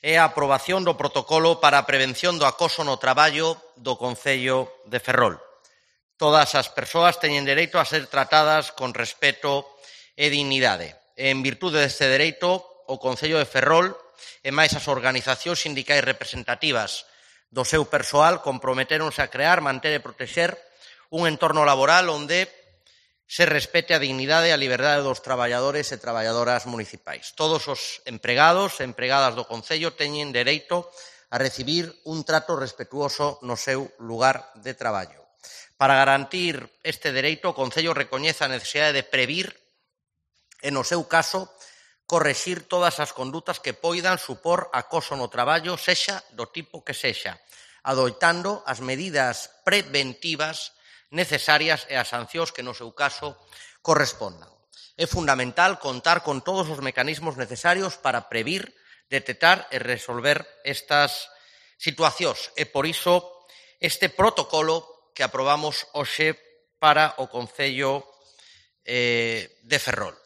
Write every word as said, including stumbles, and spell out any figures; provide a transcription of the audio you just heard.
é a aprobación do protocolo para a prevención do acoso no traballo do Concello de Ferrol. Todas as persoas teñen dereito a ser tratadas con respeto e dignidade. En virtude deste dereito, o Concello de Ferrol e máis as organizacións sindicais representativas do seu persoal comprometéronse a crear, manter e protexer un entorno laboral onde se respete a dignidade e a liberdade dos traballadores e traballadoras municipais. Todos os empregados e empregadas do Concello teñen dereito a recibir un trato respetuoso no seu lugar de traballo. Para garantir este dereito, o Concello recoñece a necesidade de previr e, no seu caso, correxir todas as condutas que poidan supor acoso no traballo, sexa do tipo que sexa, adoitando as medidas preventivas necesarias e as sancións que, no seu caso, correspondan. É fundamental contar con todos os mecanismos necesarios para previr, detectar e resolver estas situacións. E, por iso, este protocolo que aprobamos hoxe para o Concello de Ferrol.